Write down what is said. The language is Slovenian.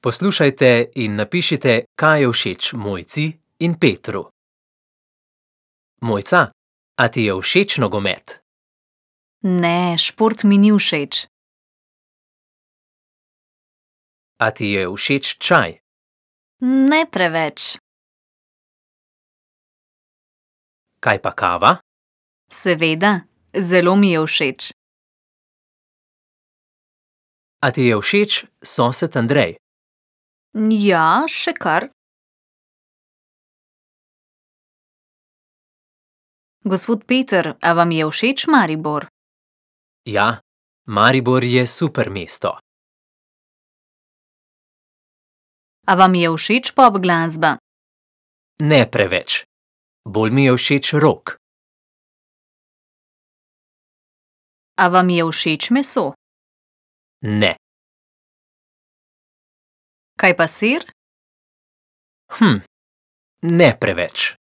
Poslušajte in napišite, kaj je všeč Mojci in Petru. Mojca, a ti je všeč nogomet? Ne, šport mi ni všeč. A ti je všeč čaj? Ne preveč. Kaj pa kava? Seveda, zelo mi je všeč. A ti je všeč sosed Andrej? Ja, še kar. Gospod Peter, a vam je všeč Maribor? Ja, Maribor je super mesto. A vam je všeč pop glasba? Ne preveč. Bolj mi je všeč rock. A vam je všeč meso? Ne. Kaj pa sir? Ne preveč.